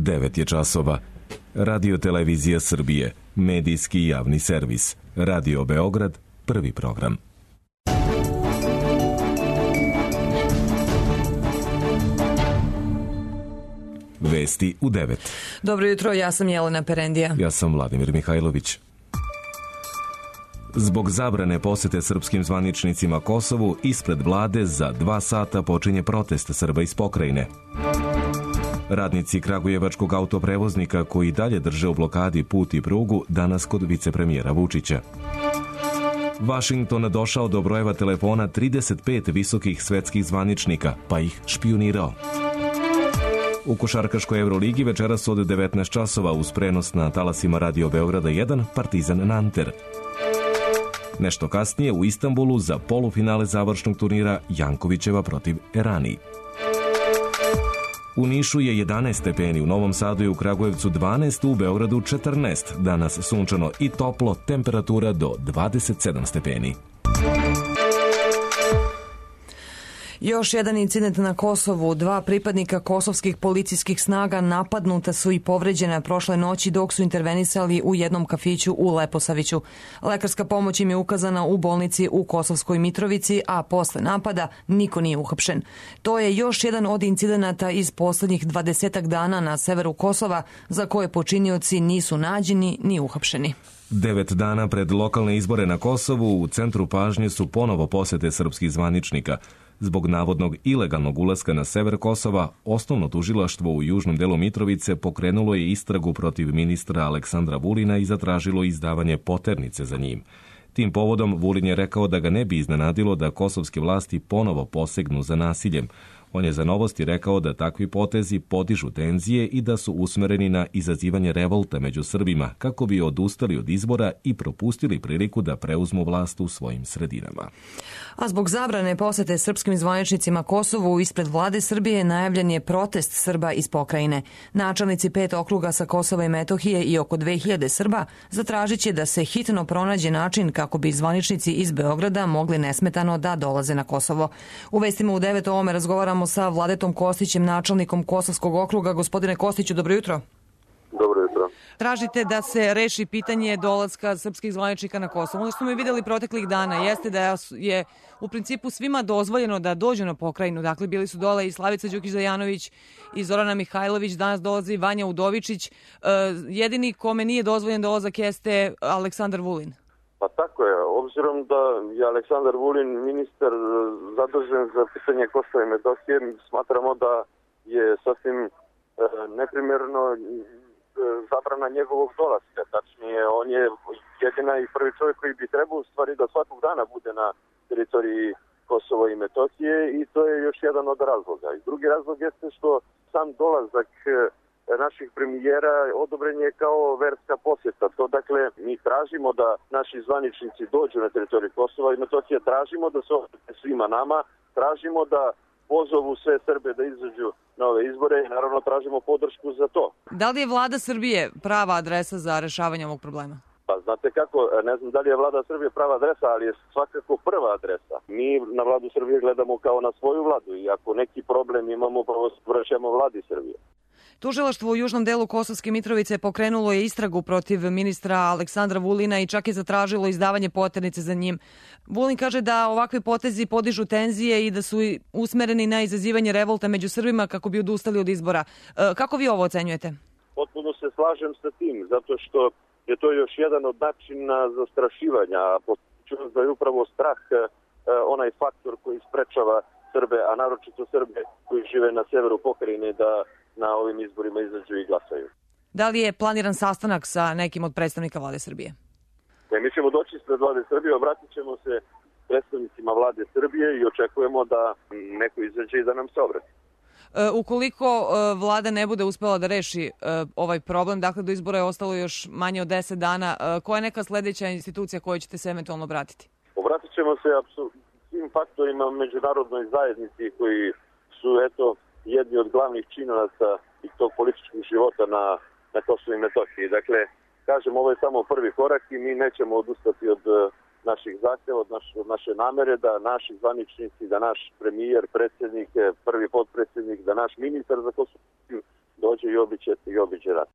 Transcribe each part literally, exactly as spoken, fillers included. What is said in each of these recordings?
devet je časova. Radio Televizija Srbije, medijski javni servis. Radio Beograd, prvi program. Vesti u devet. Dobro jutro, ja sam Jelena Perendija. Ja sam Vladimir Mihajlović. Zbog zabrane posete srpskim zvaničnicima Kosovu, ispred vlade za dva sata počinje protest Srba iz pokrajine. Radnici kragujevačkog autoprevoznika koji dalje drže u blokadi put i prugu danas kod vicepremijera Vučića. Vašington došao do brojeva telefona trideset pet visokih svetskih zvaničnika, pa ih špijunirao. U košarkaškoj Euroligi večeras od devetnaest časova uz prenos na talasima Radio Beograda jedan Partizan Nanter. Nešto kasnije u Istanbulu za polufinale završnog turnira Jankovićeva protiv Erani. U Nišu je jedanaest stepeni, u Novom Sadu i u Kragujevcu dvanaest, u Beogradu četrnaest. Danas sunčano i toplo, temperatura do dvadeset sedam stepeni. Još jedan incident na Kosovu. Dva pripadnika kosovskih policijskih snaga napadnuta su i povređena prošle noći dok su intervenisali u jednom kafiću u Leposaviću. Lekarska pomoć im je ukazana u bolnici u Kosovskoj Mitrovici, a posle napada niko nije uhapšen. To je još jedan od incidenata iz poslednjih dvadesetak dana na severu Kosova za koje počinioci nisu nađeni ni uhapšeni. Devet dana pred lokalne izbore na Kosovu u centru pažnje su ponovo posete srpskih zvaničnika. Zbog navodnog ilegalnog ulaska na sever Kosova, osnovno tužilaštvo u južnom delu Mitrovice pokrenulo je istragu protiv ministra Aleksandra Vulina i zatražilo izdavanje poternice za njim. Tim povodom Vulin je rekao da ga ne bi iznenadilo da kosovske vlasti ponovo posegnu za nasiljem. On je za Novosti rekao da takvi potezi podižu tenzije i da su usmereni na izazivanje revolta među Srbima kako bi odustali od izbora i propustili priliku da preuzmu vlast u svojim sredinama. A zbog zabrane posete srpskim zvaničnicima Kosovu ispred vlade Srbije najavljen je protest Srba iz pokrajine. Načelnici pet okruga sa Kosova i Metohije i oko dve hiljade Srba zatražit će da se hitno pronađe način kako bi zvaničnici iz Beograda mogli nesmetano da dolaze na Kosovo. U vestima u devet o ovome razgovaramo sa Vladetom Kostićem, načelnikom Kosovskog okruga. Gospodine Kostiću, dobro jutro. Dobro jutro. Tražite da se reši pitanje dolaska srpskih zvaničnika na Kosovo. Ono što smo mi vidjeli proteklih dana jeste da je u principu svima dozvoljeno da dođu na pokrajinu. Dakle, bili su dole i Slavica Đukić-Zajanović i Zorana Mihajlović, danas dolazi Vanja Udovičić. Jedini kome nije dozvoljen dolazak jeste Aleksandar Vulin. Pa tako je, obzirom da je Aleksandar Vulin ministar zadužen za pitanje Kosova i Metohije, smatramo da je sasvim e, neprimjerno zabrana njegovog dolaska. Tačnije, on je jedina i prvi čovjek koji bi trebao u stvari da svakog dana bude na teritoriji Kosova i Metohije i to je još jedan od razloga. I drugi razlog jeste što sam dolazak naših premijera odobren je kao verska posjeta. To dakle, mi tražimo da naši zvaničnici dođu na teritoriju Kosova i Metohije, tražimo da se obrate svima nama, tražimo da pozovu sve Srbe da izađu na ove izbore i naravno tražimo podršku za to. Da li je vlada Srbije prava adresa za rešavanje ovog problema? Pa znate kako, ne znam da li je vlada Srbije prava adresa, ali je svakako prva adresa. Mi na vladu Srbije gledamo kao na svoju vladu i ako neki problem imamo, prvo se vraćamo vladi Srbije. Tužilaštvo u južnom delu Kosovske Mitrovice pokrenulo je istragu protiv ministra Aleksandra Vulina i čak je zatražilo izdavanje poternice za njim. Vulin kaže da ovakve potezi podižu tenzije i da su usmereni na izazivanje revolta među Srbima kako bi odustali od izbora. Kako vi ovo ocenjujete? Potpuno se slažem sa tim, zato što je to još jedan od načina zastrašivanja, a podsjećam da je upravo strah onaj faktor koji sprečava Srbe, a naročito Srbe koji žive na severu pokrajine da na ovim izborima izađu i glasaju. Da li je planiran sastanak sa nekim od predstavnika vlade Srbije? E, mi ćemo doći ispred vlade Srbije, obratit ćemo se predstavnicima vlade Srbije i očekujemo da neko izađe i da nam se obrati. E, ukoliko e, vlada ne bude uspela da reši e, ovaj problem, dakle do izbora je ostalo još manje od deset dana, e, koja je neka sledeća institucija koju ćete se eventualno obratiti? Obratit ćemo se apsolutno svim faktorima međunarodnoj zajednici koji su, eto, jedni od glavnih činilaca i tog političkog života na, na Kosovu i Metohiji. Dakle, kažem, ovo je samo prvi korak i mi nećemo odustati od naših zahtjeva, od, naš, od naše namere da naši zvaničnici, da naš premijer, predsjednik, prvi potpredsjednik, da naš ministar za Kosovo dođe i obiđe, i obiđe rat.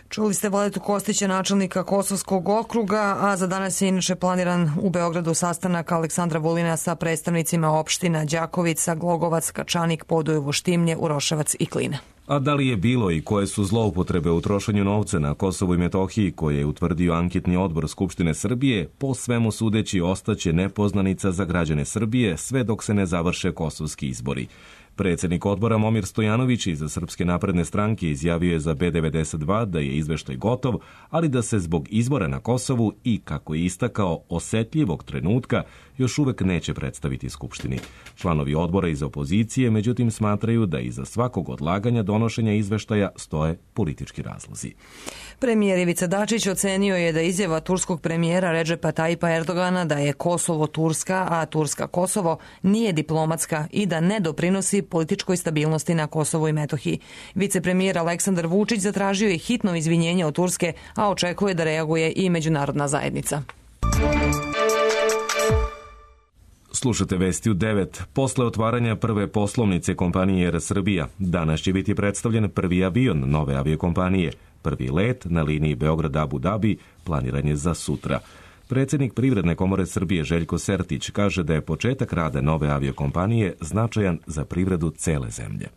Čuli ste Vladetu Kostića, načelnika Kosovskog okruga, a za danas je inače planiran u Beogradu sastanak Aleksandra Vulina sa predstavnicima opština Đakovica, Glogovac, Kačanik, Podujevo, Štimlje, Uroševac i Klina. A da li je bilo i koje su zloupotrebe u trošenju novca na Kosovu i Metohiji koje je utvrdio anketni odbor Skupštine Srbije, po svemu sudeći ostaće nepoznanica za građane Srbije sve dok se ne završe kosovski izbori. Predsjednik odbora Momir Stojanović iz Srpske napredne stranke izjavio je za B devedeset dva da je izveštaj gotov, ali da se zbog izbora na Kosovu i, kako je istakao, osetljivog trenutka još uvek neće predstaviti Skupštini. Članovi odbora iz opozicije, međutim, smatraju da iza svakog odlaganja donošenja izveštaja stoje politički razlozi. Premijer Ivica Dačić ocenio je da izjava turskog premijera Redžepa Tajipa Erdogana da je Kosovo Turska, a Turska Kosovo nije diplomatska i da ne doprinosi političkoj stabilnosti na Kosovu i Metohiji. Vicepremijer Aleksandar Vučić zatražio je hitno izvinjenje od Turske, a očekuje da reaguje i međunarodna zajednica. Slušate Vesti u devet. Posle otvaranja prve poslovnice kompanije Er Srbija, danas će biti predstavljen prvi avion nove aviokompanije. Prvi let na liniji Beograd-Abu Dabi planiran je za sutra. Predsjednik Privredne komore Srbije Željko Sertić kaže da je početak rada nove aviokompanije značajan za privredu cele zemlje.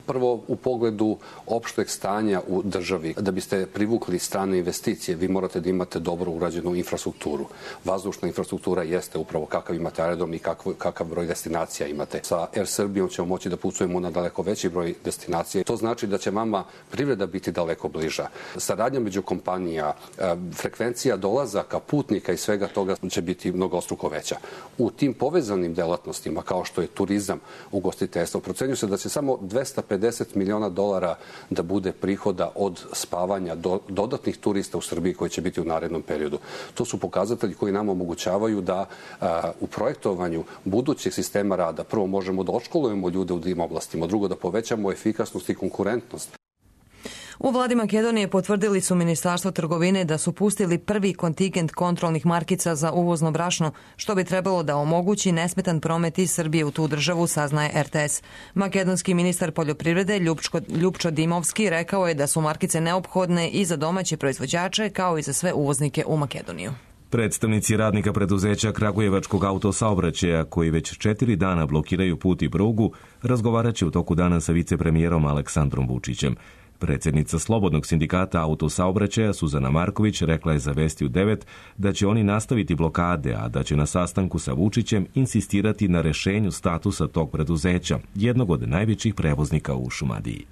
Prvo, u pogledu opšteg stanja u državi, da biste privukli strane investicije, vi morate da imate dobro urađenu infrastrukturu. Vazdušna infrastruktura jeste upravo kakav imate aerodrom i kakav, kakav broj destinacija imate. Sa Er Srbijom ćemo moći da putujemo na daleko veći broj destinacije. To znači da će vama privreda biti daleko bliža. Saradnja među kompanija, frekvencija dolazaka putnika i svega toga će biti mnogostruko veća. U tim povezanim delatnostima, kao što je turizam, ugostiteljstvo, procenjuje se da će samo dvesta pedeset miliona dolara da bude prihoda od spavanja do, dodatnih turista u Srbiji koji će biti u narednom periodu. To su pokazatelji koji nam omogućavaju da a, u projektovanju budućeg sistema rada prvo možemo da odškolujemo ljude u tim oblastima, drugo da povećamo efikasnost i konkurentnost. U vladi Makedonije potvrdili su Ministarstvo trgovine da su pustili prvi kontingent kontrolnih markica za uvozno brašno, što bi trebalo da omogući nesmetan promet iz Srbije u tu državu, saznaje Er Te Es. Makedonski ministar poljoprivrede Ljupčko, Ljupčo Dimovski rekao je da su markice neophodne i za domaće proizvođače kao i za sve uvoznike u Makedoniju. Predstavnici radnika preduzeća Kragujevačkog autosaobraćaja, koji već četiri dana blokiraju put i prugu, razgovarat će u toku dana sa vicepremijerom Aleksandrom Vučićem. Predsjednica Slobodnog sindikata autosaobraćaja Suzana Marković rekla je za Vesti u devet da će oni nastaviti blokade, a da će na sastanku sa Vučićem insistirati na rešenju statusa tog preduzeća, jednog od najvećih prevoznika u Šumadiji.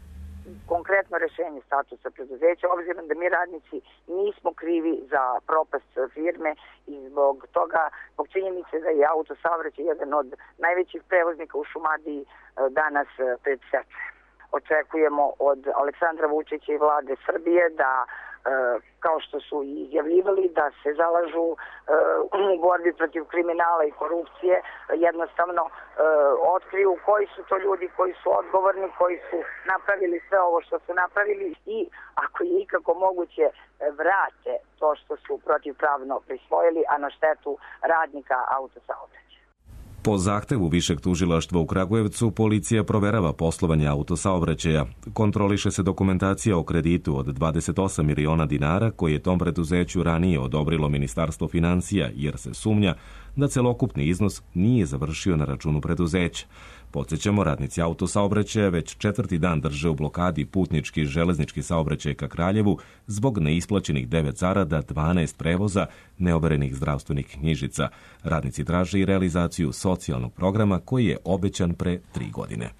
Konkretno rešenje statusa preduzeća, obzirom da mi radnici nismo krivi za propast firme i zbog toga, zbog činjenice da je autosaobraćaj jedan od najvećih prevoznika u Šumadiji danas pred stečajem. Očekujemo od Aleksandra Vučića i vlade Srbije da, kao što su i izjavljivali, da se zalažu u borbi protiv kriminala i korupcije, jednostavno otkriju koji su to ljudi koji su odgovorni, koji su napravili sve ovo što su napravili i, ako je ikako moguće, vrate to što su protivpravno prisvojili, a na štetu radnika autosaobraćaja. Po zahtevu Višeg tužilaštva u Kragujevcu, policija proverava poslovanje autosaobraćaja. Kontroliše se dokumentacija o kreditu od dvadeset osam miliona dinara koji je tom preduzeću ranije odobrilo Ministarstvo financija, jer se sumnja da celokupni iznos nije završio na računu preduzeća. Podsjećamo, radnici autosaobraćaja već četvrti dan drže u blokadi putnički i železnički saobraćaj ka Kraljevu zbog neisplaćenih devet zarada, dvanaest prevoza, neoverenih zdravstvenih knjižica. Radnici traže i realizaciju socijalnog programa koji je obećan pre tri godine.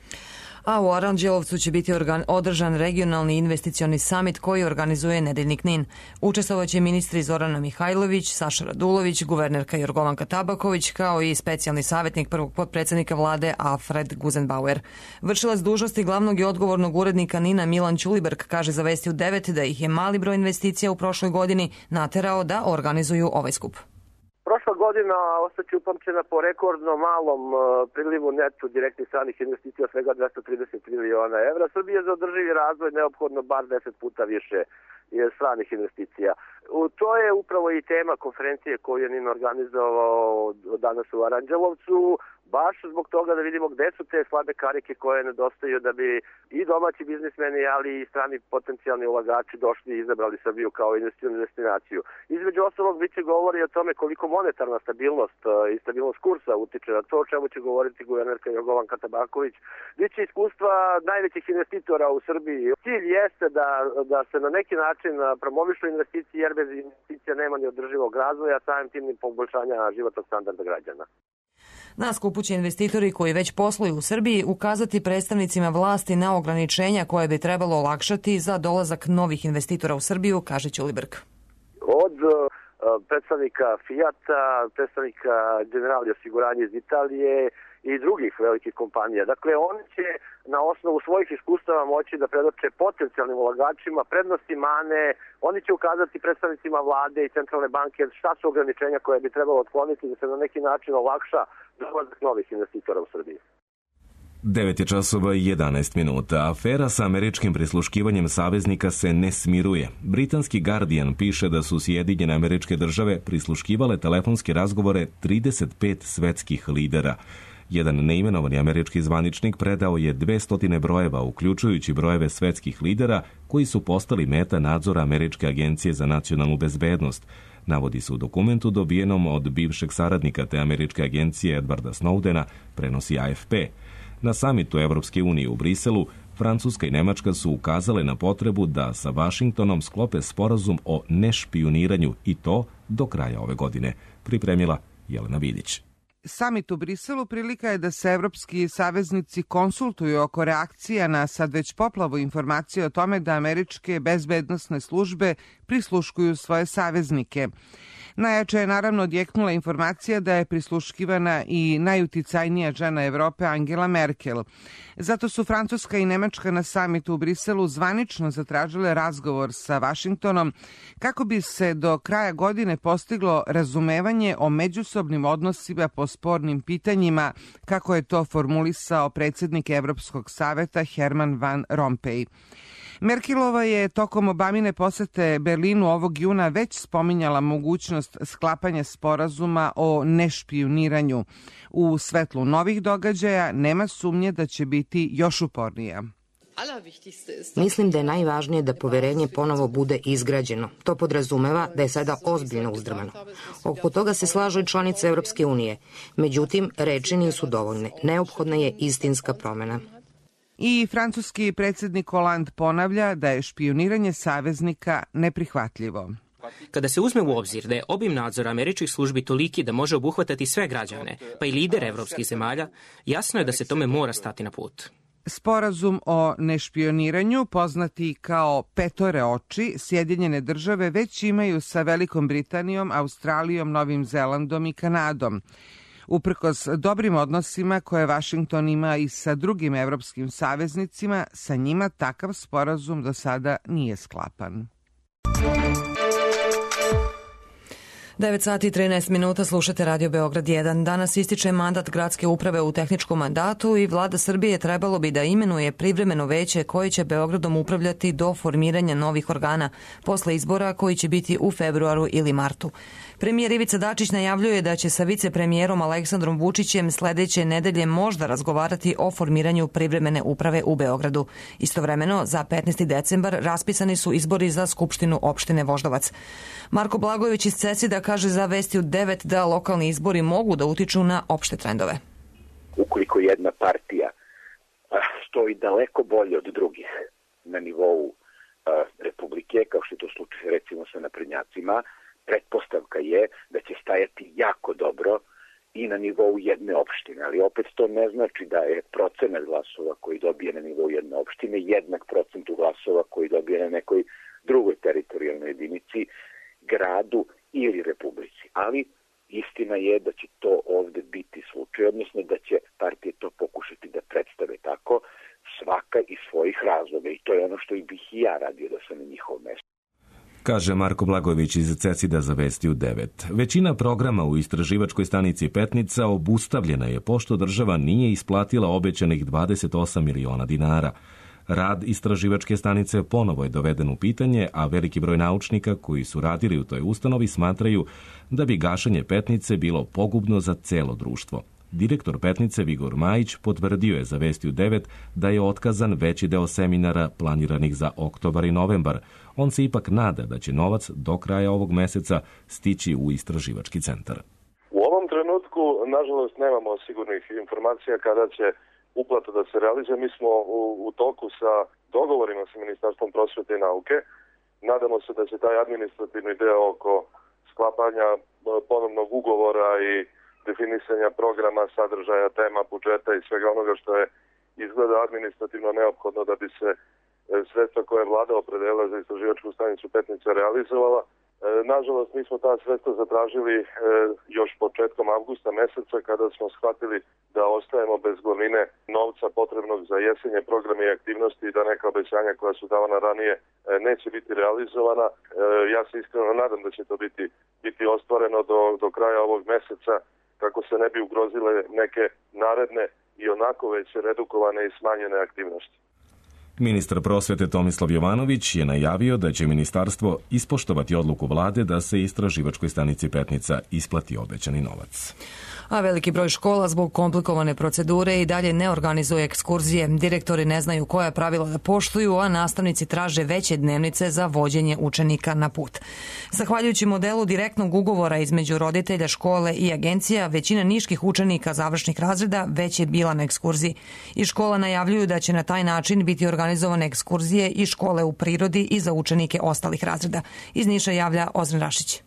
A u Aranđelovcu će biti održan regionalni investicioni samit koji organizuje Nedeljnik Nin. Učestvovaće ministri Zorana Mihajlović, Saša Radulović, guvernerka Jorgovanka Tabaković, kao i specijalni savjetnik prvog potpredsjednika vlade Alfred Guzenbauer. Vršilac dužnosti glavnog i odgovornog urednika Nina Milan Ćuliberg kaže za Vesti u devet da ih je mali broj investicija u prošloj godini naterao da organizuju ovaj skup. Prošla godina ostaće upamćena po rekordno malom prilivu neto direktnih stranih investicija, svega dvesta trideset miliona evra. Srbije za održivi razvoj neophodno bar deset puta više stranih investicija. To je upravo i tema konferencije koju je N I N organizovao danas u Aranđelovcu, baš zbog toga da vidimo gde su te slabe karike koje nedostaju da bi i domaći biznismeni, ali i strani potencijalni ulagači došli i izabrali Srbiju kao investicionu destinaciju. Između ostalog, biće govori o tome koliko monetarna stabilnost i stabilnost kursa utiče na to, o čemu će govoriti guvernerka Jorgovanka Tabaković. Biće iskustva najvećih investitora u Srbiji. Cilj jeste da, da se na neki način promovišu investicije, jer bez investicija nema ni održivog razvoja, samim tim ni poboljšanja životnog standarda građana. Na skupu će investitori koji već posluju u Srbiji ukazati predstavnicima vlasti na ograničenja koje bi trebalo olakšati za dolazak novih investitora u Srbiju, kaže Ćulibrk. Od predstavnika Fijata, predstavnika Generali osiguranja iz Italije i drugih velikih kompanija. Dakle, oni će na osnovu svojih iskustava moći da predoče potencijalnim ulagačima prednosti, mane, oni će ukazati predstavnicima vlade i centralne banke šta su ograničenja koje bi trebalo otkloniti da se na neki način olakša dolazak novih investitora u Srbiji. devet je časova i jedanaest minuta. Afera sa američkim prisluškivanjem saveznika se ne smiruje. Britanski Guardian piše da su Sjedinjene Američke Države prisluškivale telefonske razgovore trideset pet svetskih lidera. Jedan neimenovani američki zvaničnik predao je dvesta brojeva, uključujući brojeve svetskih lidera koji su postali meta nadzora Američke agencije za nacionalnu bezbednost. Navodi se u dokumentu dobijenom od bivšeg saradnika te američke agencije Edwarda Snowdena, prenosi A F P. Na samitu Evropske unije u Briselu, Francuska i Nemačka su ukazale na potrebu da sa Vašingtonom sklope sporazum o nešpijuniranju i to do kraja ove godine, pripremila Jelena Vidić. Samit u Briselu prilika je da se evropski saveznici konsultuju oko reakcija na sad već poplavu informacije o tome da američke bezbednosne službe prisluškuju svoje saveznike. Najjače je naravno odjeknula informacija da je prisluškivana i najuticajnija žena Evrope Angela Merkel. Zato su Francuska i Nemačka na samitu u Briselu zvanično zatražile razgovor sa Vašingtonom kako bi se do kraja godine postiglo razumevanje o međusobnim odnosima po spornim pitanjima, kako je to formulisao predsjednik Evropskog saveta Herman Van Rompuy. Merkelova je tokom Obamine posete Berlinu ovog juna već spominjala mogućnost sklapanja sporazuma o nešpijuniranju. U svetlu novih događaja nema sumnje da će biti još upornija. Mislim da je najvažnije da poverenje ponovo bude izgrađeno. To podrazumeva da je sada ozbiljno uzdrmano. Oko toga se slažu i članice Evropske unije. Međutim, reči nisu dovoljne. Neophodna je istinska promjena. I francuski predsjednik Hollande ponavlja da je špijuniranje saveznika neprihvatljivo. Kada se uzme u obzir da je obim nadzora američkih službi toliki da može obuhvatati sve građane, pa i lidere evropskih zemalja, jasno je da se tome mora stati na put. Sporazum o nešpioniranju, poznati kao petore oči, Sjedinjene države već imaju sa Velikom Britanijom, Australijom, Novim Zelandom i Kanadom. Uprkos dobrim odnosima koje Vašington ima i sa drugim evropskim saveznicima, sa njima takav sporazum do sada nije sklapan. devet sati i trinaest minuta, slušate Radio Beograd jedan. Danas ističe mandat gradske uprave u tehničkom mandatu i vlada Srbije trebalo bi da imenuje privremeno veće koje će Beogradom upravljati do formiranja novih organa posle izbora koji će biti u februaru ili martu. Premijer Ivica Dačić najavljuje da će sa vicepremijerom Aleksandrom Vučićem sledeće nedelje možda razgovarati o formiranju privremene uprave u Beogradu. Istovremeno, za petnaesti decembar raspisani su izbori za Skupštinu opštine Voždovac. Marko Blagojević iz Cesida kaže za Vesti u devet da lokalni izbori mogu da utiču na opšte trendove. Ukoliko jedna partija stoji daleko bolje od drugih na nivou Republike, kao što je to slučaj recimo sa naprednjacima, pretpostavka je da će stajati jako dobro i na nivou jedne opštine, ali opet to ne znači da je procenat glasova koji dobije na nivou jedne opštine jednak procentu glasova koji dobije na nekoj drugoj teritorijalnoj jedinici, gradu ili republici. Ali istina je da će to ovde biti slučaj, odnosno da će partije to pokušati da predstave tako, svaka iz svojih razloga, i to je ono što bih i ja radio da sam na njihovom mestu. Kaže Marko Blagojević iz Cecida za Vesti u devet. Većina programa u istraživačkoj stanici Petnica obustavljena je pošto država nije isplatila obećanih dvadeset osam miliona dinara. Rad istraživačke stanice ponovo je doveden u pitanje, a veliki broj naučnika koji su radili u toj ustanovi smatraju da bi gašenje Petnice bilo pogubno za celo društvo. Direktor Petnice Vigor Majić potvrdio je za Vesti u devet da je otkazan veći deo seminara planiranih za oktobar i novembar. On se ipak nada da će novac do kraja ovog meseca stići u istraživački centar. U ovom trenutku, nažalost, nemamo sigurnih informacija kada će uplata da se realizuje. Mi smo u, u toku sa dogovorima sa Ministarstvom prosvete i nauke. Nadamo se da će taj administrativni deo oko sklapanja ponovnog ugovora i definisanja programa, sadržaja, tema, budžeta i svega onoga što je izgleda administrativno neophodno da bi se sredstva koje je vlada opredelila za istraživačku stanicu Petnica realizovala. Nažalost, mi smo ta sredstva zatražili još početkom avgusta meseca kada smo shvatili da ostajemo bez glavnine novca potrebnog za jesenje programe i aktivnosti i da neka obećanja koja su davana ranije neće biti realizovana. Ja se iskreno nadam da će to biti, biti ostvareno do, do kraja ovog meseca kako se ne bi ugrozile neke naredne i onako već redukovane i smanjene aktivnosti. Ministar prosvete Tomislav Jovanović je najavio da će ministarstvo ispoštovati odluku vlade da se istraživačkoj stanici Petnica isplati obećani novac. A veliki broj škola zbog komplikovane procedure i dalje ne organizuje ekskurzije. Direktori ne znaju koja pravila da poštuju, a nastavnici traže veće dnevnice za vođenje učenika na put. Zahvaljujući modelu direktnog ugovora između roditelja, škole i agencija, većina niških učenika završnih razreda već je bila na ekskurziji. I škola najavljuju da će na taj način biti organizovane ekskurzije i škole u prirodi i za učenike ostalih razreda. Iz Niša javlja Ozren Rašić.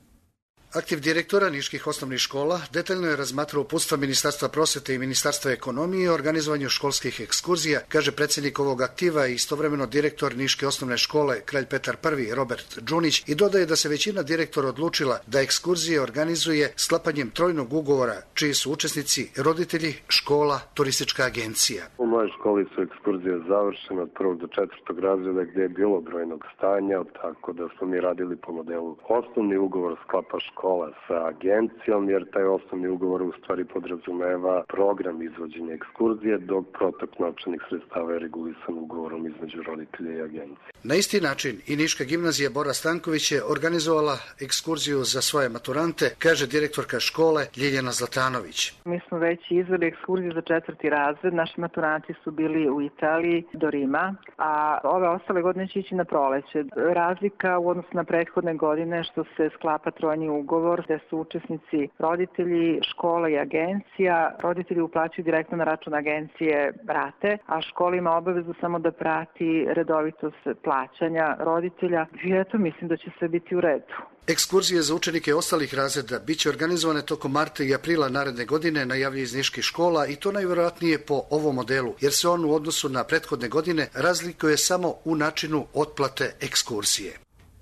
Aktiv direktora niških osnovnih škola detaljno je razmatrao uputstva Ministarstva prosvete i Ministarstva ekonomije o organizovanju školskih ekskurzija, kaže predsjednik ovog aktiva i istovremeno direktor niške osnovne škole Kralj Petar Prvi Robert Džunić i dodaje da se većina direktora odlučila da ekskurzije organizuje sklapanjem trojnog ugovora, čiji su učesnici roditelji, škola, turistička agencija. U mojoj školi su ekskurzije završene od prvog do četvrtog razreda gdje je bilo brojnog stanja, tako da smo mi radili po modelu osnovni ugovor sklapa škola sa agencijom, jer taj osnovni ugovor u stvari podrazumeva program izvođenja ekskurzije, dok protok novčanih sredstava je regulisan ugovorom između roditelja i agencije. Na isti način i Niška gimnazija Bora Stanković je organizovala ekskurziju za svoje maturante, kaže direktorka škole Ljiljana Zlatanović. Mi smo već izveli ekskurziju za četvrti razred, naši maturanti su bili u Italiji do Rima, a ove ostale godine će ići na proleće. Razlika u odnosu na prethodne godine što se sklapa trojni ugovor, gde su učesnici roditelji, škola i agencija. Roditelji uplaćuju direktno na račun agencije rate, a škola ima obavezu samo da prati redovitost plaćanja roditelja. I eto, mislim da će sve biti u redu. Ekskurzije za učenike ostalih razreda biće organizovane tokom marta i aprila naredne godine, najavljuje iz niških škola, i to najvjerojatnije po ovom modelu, jer se on u odnosu na prethodne godine razlikuje samo u načinu otplate ekskurzije.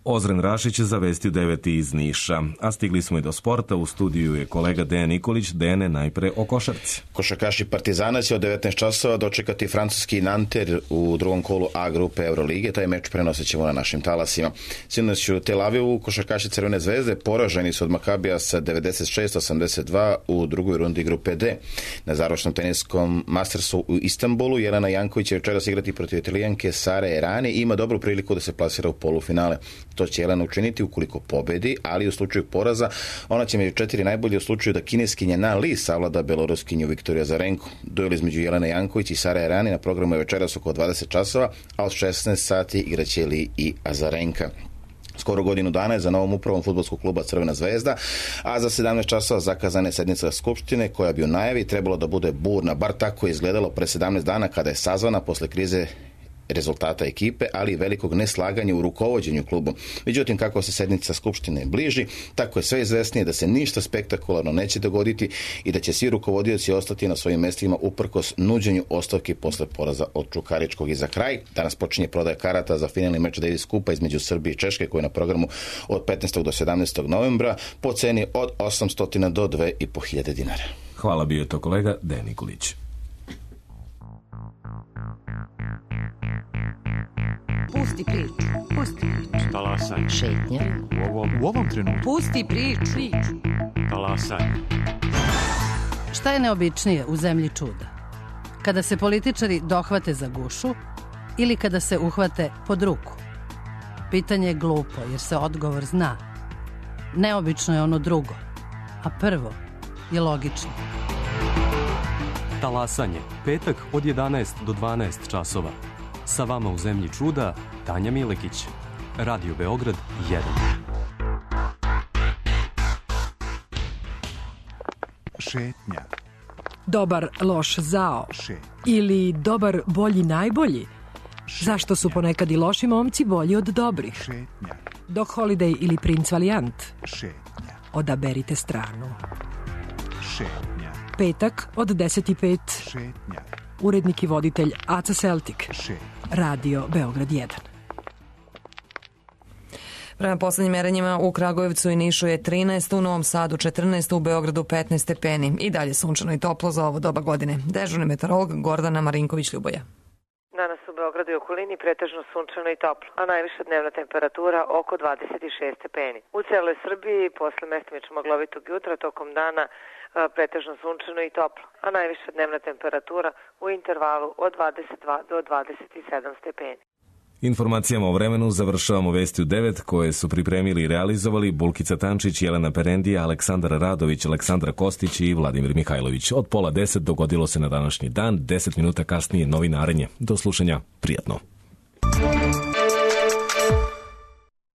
Ozren Rašić za Vesti u devet iz Niša. A stigli smo i do sporta. U studiju je kolega Dejan Nikolić. Dejane, najpre o košarci. Košarkaši Partizana će od devetnaest časova dočekati francuski Nanter u drugom kolu A grupe Eurolige. Taj meč prenosit ćemo na našim talasima. Sinoć u Tel Avivu košarkaši Crvene zvezde poraženi su od Makabija sa devedeset šest osamdeset dva u drugoj rundi grupe D. Na završnom teniskom Mastersu u Istanbulu Jelena Janković će večeras igrati protiv Italijanke Sare Errani i ima dobru priliku da se plasira u polufinale. To će Jelena učiniti ukoliko pobedi, ali u slučaju poraza ona će među četiri najbolje u slučaju da kineskinja Na Li savlada beloruskinju Viktoriju Azarenko. Duel između Jelene Janković i Sare Errani na programu je večeras oko dvadeset časova, a od šesnaest sati igraće Li i Azarenka. Skoro godinu dana je za novom upravom fudbalskog kluba Crvena zvezda, a za sedamnaest časova zakazana je sednica skupštine koja bi u najavi trebalo da bude burna, bar tako je izgledalo pre sedamnaest dana kada je sazvana posle krize rezultata ekipe, ali i velikog neslaganja u rukovođenju klubu. Međutim, kako se sednica skupštine bliži, tako je sve izvesnije da se ništa spektakularno neće dogoditi i da će svi rukovodioci ostati na svojim mestima uprkos nuđenju ostavki posle poraza od Čukaričkog. I za kraj, danas počinje prodaja karata za finalni meč Davis Kupa između Srbije i Češke koji je na programu od petnaestog do sedamnaestog novembra po ceni od osamsto do dve i po hiljade dinara. Hvala, bio je to kolega Dejan Nikolić. Pusti priču. Pusti priču. Talasaj. Šetnja. U ovom, u ovom trenutku. Pusti priču. priču. Talasaj. Šta je neobičnije u zemlji čuda? Kada se političari dohvate za gušu ili kada se uhvate pod ruku? Pitanje je glupo jer se odgovor zna. Neobično je ono drugo, a prvo je logično. Talasanje, petak od jedanaest do dvanaest časova. Sa vama u zemlji čuda, Tanja Milekić. Radio Beograd jedan. Šetnja. Dobar, loš, zao. Šetnja. Ili dobar, bolji, najbolji. Šetnja. Zašto su ponekad i loši momci bolji od dobrih? Šetnja. Doc Holliday ili Prince Valiant. Šetnja. Odaberite stranu. Šetnja. Petak od deset i pet. Šetnja. Urednik i voditelj Aca Celtic. Šetnja. Radio Beograd jedan. Prema poslednjim merenjima u Kragujevcu i Nišu je trinaest, u Novom Sadu četrnaest, u Beogradu petnaest stepeni. I dalje sunčano i toplo za ovo doba godine. Dežurni meteorolog Gordana Marinković-Ljuboja. Danas u Beogradu i okolini pretežno sunčano i toplo, a najviša dnevna temperatura oko dvadeset šest stepeni. U celoj Srbiji posle mestimično maglovitog jutra tokom dana pretežno sunčano i toplo, a najviša dnevna temperatura u intervalu od dvadeset dva do dvadeset sedam stepeni. Informacijama o vremenu završavamo vesti u devet koje su pripremili i realizovali Bulkica Tančić, Jelena Perendija, Aleksandar Radović, Aleksandra Kostić i Vladimir Mihajlović. Od pola deset dogodilo se na današnji dan, deset minuta kasnije novinarenje. Do slušanja, prijatno.